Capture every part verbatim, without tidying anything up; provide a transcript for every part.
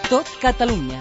Tot Catalunya.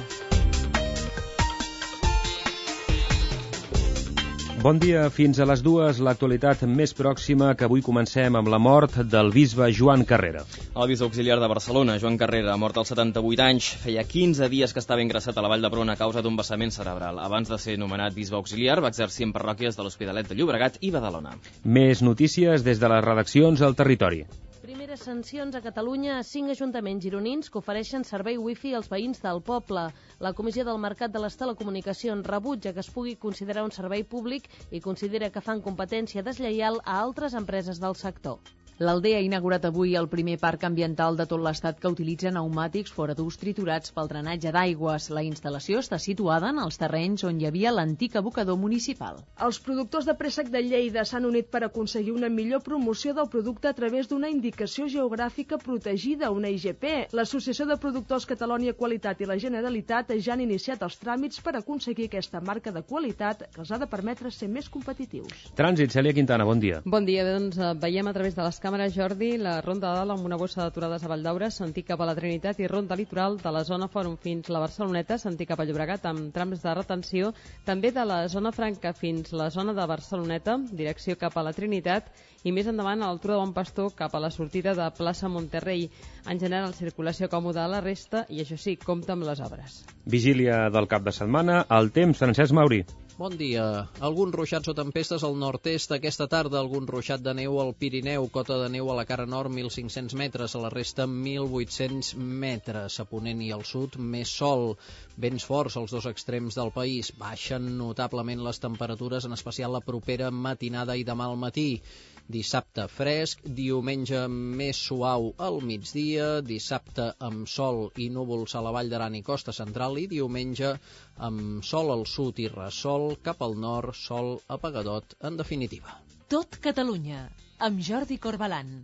Bon dia, fins a les dues, l'actualitat més pròxima, que avui comencem amb la mort del bisbe Joan Carrera. El bisbe auxiliar de Barcelona, Joan Carrera, mort als setanta-vuit anys, feia quinze dies que estava ingressat a la Vall d'Hebron a causa d'un vessament cerebral. Abans de ser nomenat bisbe auxiliar, va exercir en parròquies de l'Hospitalet de Llobregat i Badalona. Més notícies des de les redaccions al territori. Primeres sancions a Catalunya a cinc ajuntaments gironins que ofereixen servei wifi als veïns del poble. La Comissió del Mercat de les Telecomunicacions rebutja que es pugui considerar un servei públic i considera que fan competència deslleial a altres empreses del sector. L'Aldea ha inaugurat avui el primer parc ambiental de tot l'Estat que utilitza pneumàtics fora d'ús triturats pel drenatge d'aigües. La instal·lació està situada en els terrenys on hi havia l'antic abocador municipal. Els productors de préssec de Lleida s'han unit per aconseguir una millor promoció del producte a través d'una indicació geogràfica protegida, una I G P. L'Associació de Productors Catalònia Qualitat i la Generalitat ja han iniciat els tràmits per aconseguir aquesta marca de qualitat que els ha de permetre ser més competitius. Trànsit, Cèlia Quintana, bon dia. Bon dia, doncs veiem a través de les càmeres, Jordi, la Ronda de Dalt amb una bossa d'aturades a Valldaura, sentit cap a la Trinitat, i Ronda Litoral de la zona Fòrum fins la Barceloneta, sentit cap a Llobregat amb trams de retenció, també de la zona Franca fins la zona de Barceloneta, direcció cap a la Trinitat, i més endavant a l'altura de Bon Pastor cap a la sortida de plaça Monterrey. En general, circulació còmoda a la resta i, això sí, compta amb les obres. Vigília del cap de setmana, el temps, Francesc Mauri. Bon dia. Alguns ruixats o tempestes al nord-est aquesta tarda, algun ruixat de neu al Pirineu, cota de neu a la cara nord mil cinc-cents metres, a la resta mil vuit-cents metres, a ponent i al sud més sol, vents forts als dos extrems del país, baixen notablement les temperatures, en especial la propera matinada i demà al matí. Dissabte fresc, diumenge més suau al migdia, dissabte amb sol i núvols a la Vall d'Aran i Costa Central i diumenge amb sol al sud i ressol cap al nord, sol apagadot en definitiva. Tot Catalunya, amb Jordi Corbalan.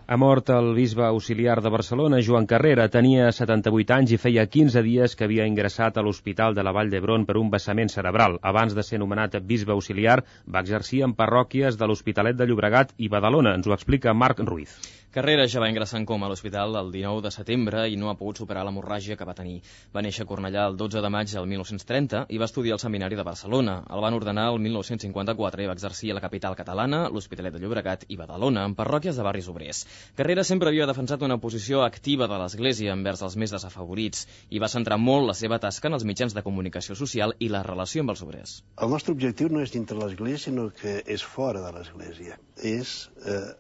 Ha mort el bisbe auxiliar de Barcelona, Joan Carrera. Tenia setanta-vuit anys i feia quinze dies que havia ingressat a l'Hospital de la Vall d'Hebron per un vessament cerebral. Abans de ser nomenat bisbe auxiliar, va exercir en parròquies de l'Hospitalet de Llobregat i Badalona. Ens ho explica Marc Ruiz. Carrera ja va ingressar en coma a l'hospital el dinou de setembre i no ha pogut superar l'hemorràgia que va tenir. Va néixer a Cornellà el dotze de maig del mil nou-cents trenta i va estudiar al Seminari de Barcelona. El van ordenar el mil nou-cents cinquanta-quatre i va exercir a la capital catalana, l'Hospitalet de Llobregat i Badalona, en parròquies de barris obrers. Carrera sempre havia defensat una posició activa de l'Església envers els més desafavorits i va centrar molt la seva tasca en els mitjans de comunicació social i la relació amb els obrers. El nostre objectiu no és dintre l'Església, sinó que és fora de l'Església. És eh,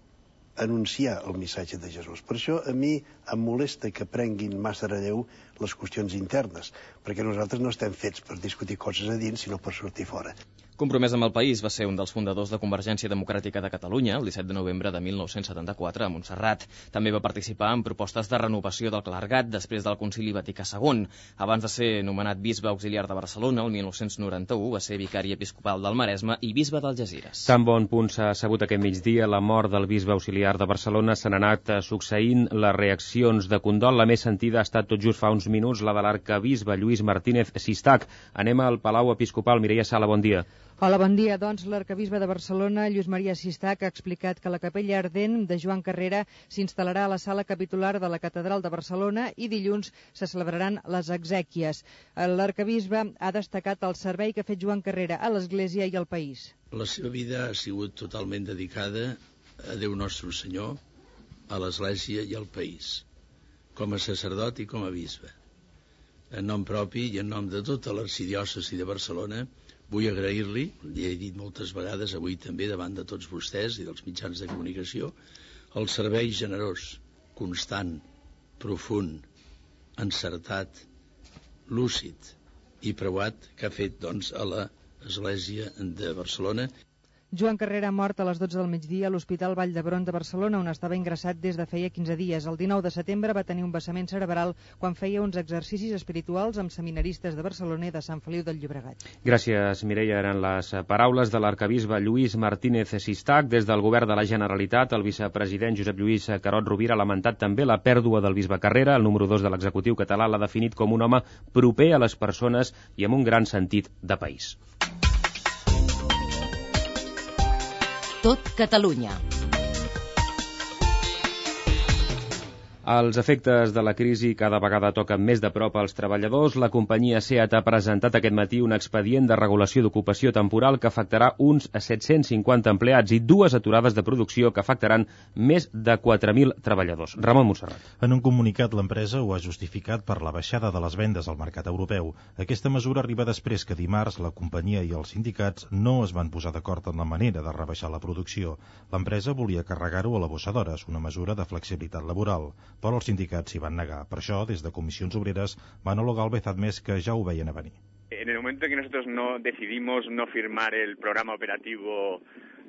anunciar el missatge de Jesús. Per això a mi em molesta que prenguin massa relleu les qüestions internes, perquè nosaltres no estem fets per discutir coses a dins, sinó per sortir fora. Compromès amb el país, va ser un dels fundadors de Convergència Democràtica de Catalunya el disset de novembre de mil nou-cents setanta-quatre a Montserrat. També va participar en propostes de renovació del clergat després del Concili Vaticà segon. Abans de ser nomenat bisbe auxiliar de Barcelona, el mil nou-cents noranta-u va ser vicari episcopal del Maresme i bisbe d'Algesires. Tan bon punt s'ha sabut aquest migdia la mort del bisbe auxiliar de Barcelona, s'han anat succeint les reaccions de condol. La més sentida ha estat tot just fa uns minuts la de l'arquebisbe Lluís Martínez Sistac. Anem al Palau Episcopal. Mireia Sala, bon dia. Hola, bon dia. Doncs l'arquebisbe de Barcelona, Lluís Maria Sistac, ha explicat que la capella ardent de Joan Carrera s'instal·larà a la sala capitular de la Catedral de Barcelona i dilluns se celebraran les exèquies. L'arquebisbe ha destacat el servei que ha fet Joan Carrera a l'Església i al país. La seva vida ha sigut totalment dedicada a Déu Nostre Senyor, a l'Església i al país, com a sacerdot i com a bisbe. En nom propi i en nom de tota l'arxidiòcesi de Barcelona, vull agrair-li, li he dit moltes vegades avui també davant de tots vostès i dels mitjans de comunicació, el servei generós, constant, profund, encertat, lúcid i preuat que ha fet doncs, a l'Església de Barcelona. Joan Carrera ha mort a les dotze del migdia a l'Hospital Vall d'Hebron de Barcelona, on estava ingressat des de feia quinze dies. El dinou de setembre va tenir un vessament cerebral quan feia uns exercicis espirituals amb seminaristes de Barcelona i de Sant Feliu del Llobregat. Gràcies, Mireia. Eren les paraules de l'arquebisbe Lluís Martínez Sistac. Des del govern de la Generalitat, el vicepresident Josep Lluís Carot Rovira ha lamentat també la pèrdua del bisbe Carrera. El número dos de l'executiu català l'ha definit com un home proper a les persones i amb un gran sentit de país. tot Catalunya. Els efectes de la crisi cada vegada toquen més de prop als treballadors. La companyia SEAT ha presentat aquest matí un expedient de regulació d'ocupació temporal que afectarà uns set-cents cinquanta empleats i dues aturades de producció que afectaran més de quatre mil treballadors. Ramon Montserrat. En un comunicat, l'empresa ho ha justificat per la baixada de les vendes al mercat europeu. Aquesta mesura arriba després que dimarts la companyia i els sindicats no es van posar d'acord en la manera de rebaixar la producció. L'empresa volia carregar-ho a la bossa d'hores, una mesura de flexibilitat laboral. Però els sindicats s'hi van negar. Per això, des de Comissions Obreres, van al·legar al Bezadmes que ja ho veien a venir. En el momento en que nosotros no decidimos no firmar el programa operativo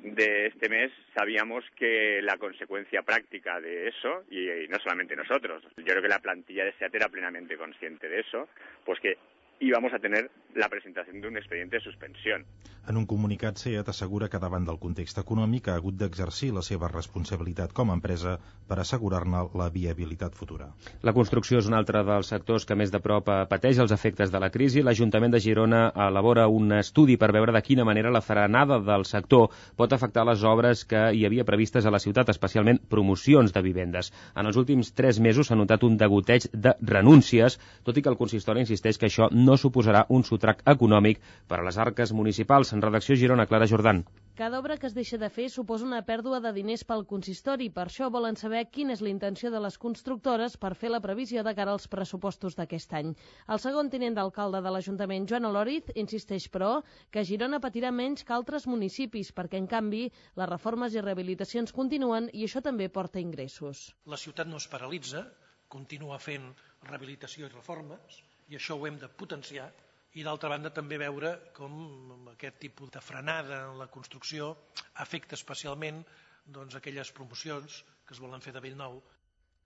de este mes, sabíamos que la consecuencia práctica de eso, y no solamente nosotros, yo creo que la plantilla de SEAT era plenamente consciente de eso, pues que íbamos a tener la presentación de un expediente de suspensión. En un comunicat, SEAT assegura que davant del context econòmic ha hagut d'exercir la seva responsabilitat com a empresa per assegurar-ne la viabilitat futura. La construcció és un altre dels sectors que més de prop pateix els efectes de la crisi. L'Ajuntament de Girona elabora un estudi per veure de quina manera la frenada del sector pot afectar les obres que hi havia previstes a la ciutat, especialment promocions de vivendes. En els últims tres mesos s'ha notat un degoteig de renúncies, tot i que el consistori insisteix que això no suposarà un sotrac econòmic per a les arques municipals. En redacció Girona, Clara Jordan. Cada obra que es deixa de fer suposa una pèrdua de diners pel consistori. Per això volen saber quina és la intenció de les constructores per fer la previsió de cara als pressupostos d'aquest any. El segon tinent d'alcalde de l'Ajuntament, Joan Oloriz, insisteix, però, que Girona patirà menys que altres municipis, perquè, en canvi, les reformes i rehabilitacions continuen i això també porta ingressos. La ciutat no es paralitza, continua fent rehabilitació i reformes, i això ho hem de potenciar, i d'altra banda també veure com aquest tipus de frenada en la construcció afecta especialment doncs, aquelles promocions que es volen fer de bell nou.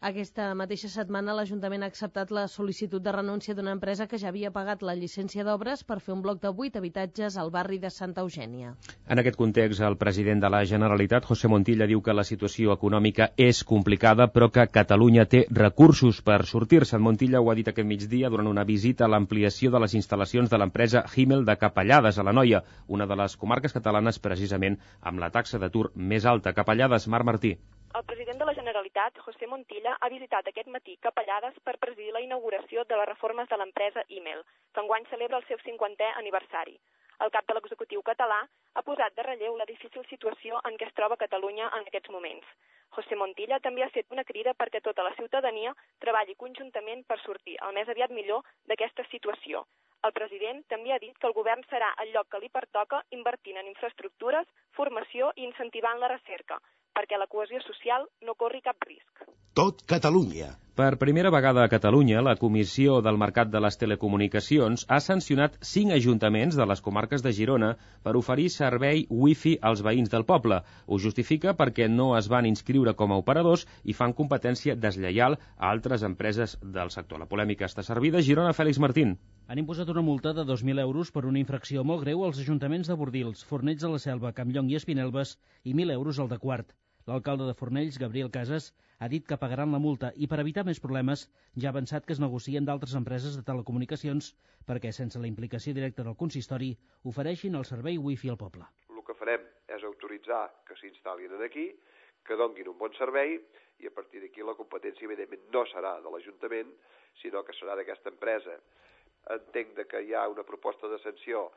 Aquesta mateixa setmana l'Ajuntament ha acceptat la sol·licitud de renúncia d'una empresa que ja havia pagat la llicència d'obres per fer un bloc de vuit habitatges al barri de Santa Eugènia. En aquest context, el president de la Generalitat, José Montilla, diu que la situació econòmica és complicada, però que Catalunya té recursos per sortir-se'n. Montilla ho ha dit aquest migdia durant una visita a l'ampliació de les instal·lacions de l'empresa Himmel de Capellades, a l'Anoia, una de les comarques catalanes precisament amb la taxa d'atur més alta. Capellades, Marc Martí. El president de la Generalitat, José Montilla, ha visitat aquest matí Capellades per presidir la inauguració de les reformes de l'empresa Himmel, que enguany celebra el seu cinquantè aniversari. El cap de l'executiu català ha posat de relleu la difícil situació en què es troba Catalunya en aquests moments. José Montilla també ha fet una crida perquè tota la ciutadania treballi conjuntament per sortir el més aviat millor d'aquesta situació. El president també ha dit que el govern serà el lloc que li pertoca invertint en infraestructures, formació i incentivant la recerca, perquè la cohesió social no corri cap risc. Tot Catalunya. Per primera vegada a Catalunya, la Comissió del Mercat de les Telecomunicacions ha sancionat cinc ajuntaments de les comarques de Girona per oferir servei wifi als veïns del poble. Ho justifica perquè no es van inscriure com a operadors i fan competència deslleial a altres empreses del sector. La polèmica està servida. Girona, Fèlix Martín. Han imposat una multa de dos mil euros per una infracció molt greu als ajuntaments de Bordils, Fornells de la Selva, Campllong i Espinelves i mil euros al de Quart. L'alcalde de Fornells, Gabriel Casas, ha dit que pagaran la multa i per evitar més problemes ja ha avançat que es negocien d'altres empreses de telecomunicacions perquè, sense la implicació directa del consistori, ofereixin el servei wifi al poble. El que farem és autoritzar que s'instal·lin aquí, que donguin un bon servei i a partir d'aquí la competència, evidentment, no serà de l'Ajuntament, sinó que serà d'aquesta empresa. Entenc que hi ha una proposta de sanció,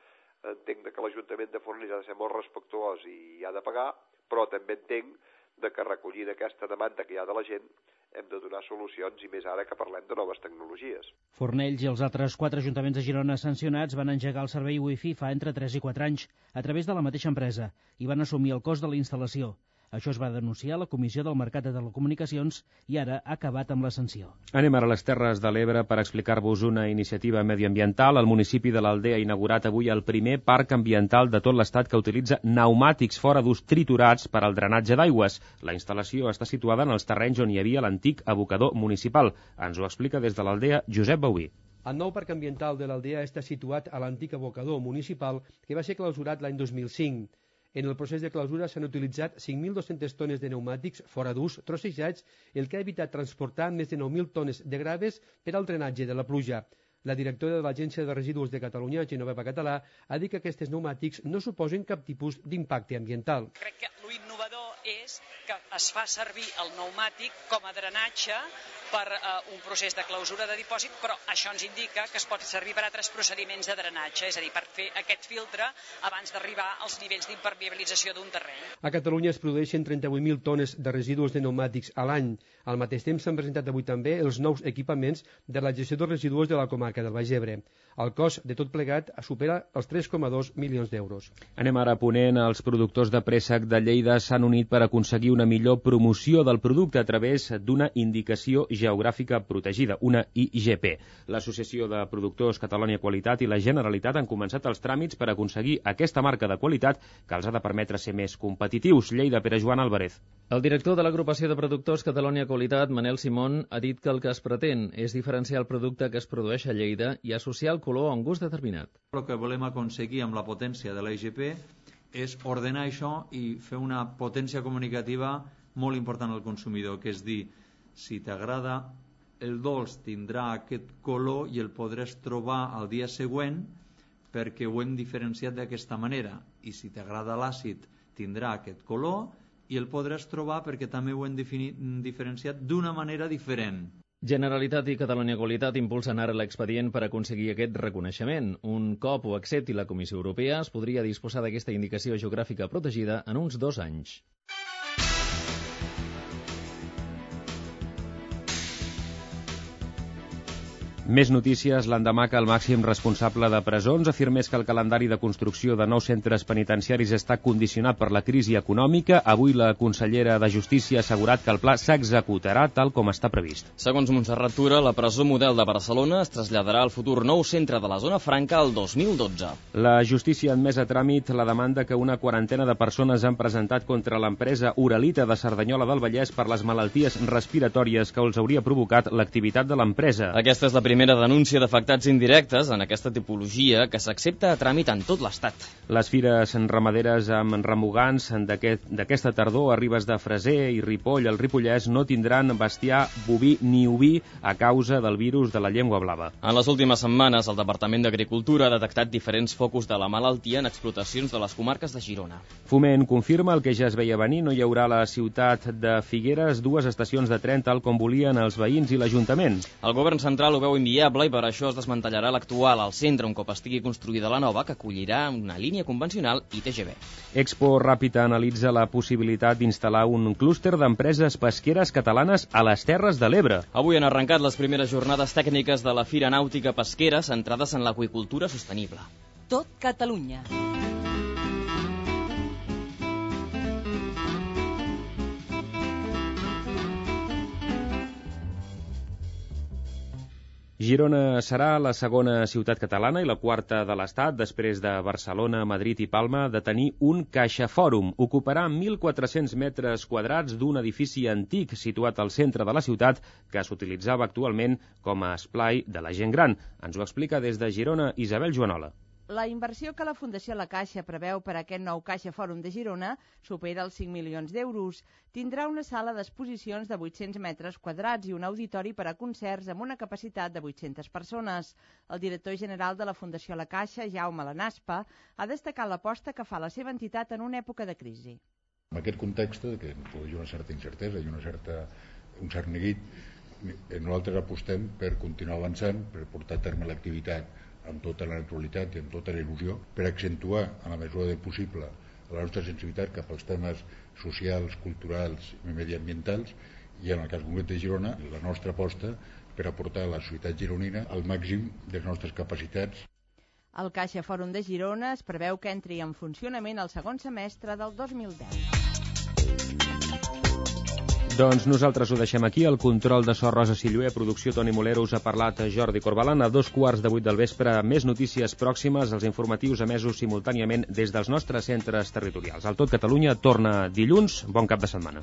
entenc que l'Ajuntament de Fornells ha de ser molt respectuós i ha de pagar, però també entenc de que recollint aquesta demanda que hi ha de la gent hem de donar solucions i més ara que parlem de noves tecnologies. Fornells i els altres quatre ajuntaments de Girona sancionats van engegar el servei wifi fa entre tres i quatre anys a través de la mateixa empresa i van assumir el cost de la instal·lació. Això es va denunciar a la Comissió del Mercat de Telecomunicacions i ara ha acabat amb la sanció. Anem ara a les Terres de l'Ebre per explicar-vos una iniciativa medioambiental. El municipi de l'Aldea ha inaugurat avui el primer parc ambiental de tot l'estat que utilitza pneumàtics fora d'ús triturats per al drenatge d'aigües. La instal·lació està situada en els terrenys on hi havia l'antic abocador municipal. Ens ho explica des de l'Aldea Josep Bauí. El nou parc ambiental de l'Aldea està situat a l'antic abocador municipal que va ser clausurat l'any dos mil cinc. En el procés de clausura s'han utilitzat cinc mil dues-centes tones de pneumàtics fora d'ús trossejats, el que ha evitat transportar més de nou mil tones de graves per al drenatge de la pluja. La directora de l'Agència de Residus de Catalunya, Genoveva Català, ha dit que aquests pneumàtics no suposen cap tipus d'impacte ambiental. Crec que l'innovador és que es fa servir el pneumàtic com a drenatge per uh, un procés de clausura de dipòsit, però això ens indica que es pot servir per altres procediments de drenatge, és a dir, per fer aquest filtre abans d'arribar als nivells d'impermeabilització d'un terreny. A Catalunya es produeixen trenta-vuit mil tones de residus de pneumàtics a l'any. Al mateix temps s'han presentat avui també els nous equipaments de la gestió dels residus de la comarca del Baix Ebre. El cost de tot plegat supera els tres coma dos milions d'euros. Anem ara a Ponent. Els productors de préssec de Lleida s'han unit per aconseguir una millor promoció del producte a través d'una indicació geogràfica protegida, una I G P. L'Associació de Productors Catalonia Qualitat i la Generalitat han començat els tràmits per aconseguir aquesta marca de qualitat que els ha de permetre ser més competitius. Lleida, Pere Joan Álvarez. El director de l'agrupació de productors Catalonia Qualitat, Manel Simón, ha dit que el que es pretén és diferenciar el producte que es produeix a Lleida i associar el color a un gust determinat. El que volem aconseguir amb la potència de la I G P és ordenar això i fer una potència comunicativa molt important al consumidor, que és dir, si t'agrada el dolç tindrà aquest color i el podràs trobar al dia següent perquè ho hem diferenciat d'aquesta manera, i si t'agrada l'àcid tindrà aquest color i el podràs trobar perquè també ho hem diferenciat d'una manera diferent. Generalitat i Catalonia Qualitat impulsen ara l'expedient per aconseguir aquest reconeixement. Un cop ho accepti la Comissió Europea, es podria disposar d'aquesta indicació geogràfica protegida en uns dos anys. Més notícies l'endemà que el màxim responsable de presons afirmés que el calendari de construcció de nous centres penitenciaris està condicionat per la crisi econòmica. Avui la consellera de Justícia ha assegurat que el pla s'executarà tal com està previst. Segons Montserrat Tura, la presó model de Barcelona es traslladarà al futur nou centre de la zona franca el dos mil dotze. La Justícia ha admès a tràmit la demanda que una quarantena de persones han presentat contra l'empresa Uralita de Cerdanyola del Vallès per les malalties respiratòries que els hauria provocat l'activitat de l'empresa. Aquesta és la primera primera denúncia d'afectats indirectes en aquesta tipologia que s'accepta a tràmit en tot l'Estat. Les fires ramaderes amb remugants d'aquesta aquest, tardor a Ribes de Freser i Ripoll, el Ripollès, no tindran bestiar boví ni oví a causa del virus de la llengua blava. En les últimes setmanes, el Departament d'Agricultura ha detectat diferents focus de la malaltia en explotacions de les comarques de Girona. Foment confirma el que ja es veia venir, no hi haurà a la ciutat de Figueres dues estacions de tren tal com volien els veïns i l'Ajuntament. El govern central ho veu inviable i per això es desmantellarà l'actual al centre un cop estigui construïda la nova, que acollirà una línia convencional i T G V. Expo Ràpita analitza la possibilitat d'instal·lar un clúster d'empreses pesqueres catalanes a les Terres de l'Ebre. Avui han arrencat les primeres jornades tècniques de la Fira Nàutica Pesquera centrades en l'aqüicultura sostenible. Tot Catalunya. Girona serà la segona ciutat catalana i la quarta de l'Estat, després de Barcelona, Madrid i Palma, de tenir un CaixaFòrum. Ocuparà mil quatre-cents metres quadrats d'un edifici antic situat al centre de la ciutat que s'utilitzava actualment com a esplai de la gent gran. Ens ho explica des de Girona Isabel Joanola. La inversió que la Fundació La Caixa preveu per a aquest nou CaixaFòrum de Girona supera els cinc milions d'euros. Tindrà una sala d'exposicions de vuit-cents metres quadrats i un auditori per a concerts amb una capacitat de vuit-centes persones. El director general de la Fundació La Caixa, Jaume Lanaspa, ha destacat l'aposta que fa la seva entitat en una època de crisi. En aquest context, que produeix una certa incertesa i una certa, un cert neguit, nosaltres apostem per continuar avançant, per portar a terme l'activitat amb tota la naturalitat i amb tota la il·lusió, per accentuar, en la mesura del possible, la nostra sensibilitat cap als temes socials, culturals i mediambientals, i en el cas concret de Girona, la nostra aposta per aportar a la societat gironina el màxim de les nostres capacitats. El CaixaFòrum de Girona es preveu que entri en funcionament el segon semestre del dos mil deu. Doncs nosaltres ho deixem aquí. El control de so Rosa Silluer, producció Toni Molero, us ha parlat Jordi Corbalan. A dos quarts de vuit del vespre, més notícies pròximes, els informatius emesos simultàniament des dels nostres centres territorials. El Tot Catalunya torna dilluns. Bon cap de setmana.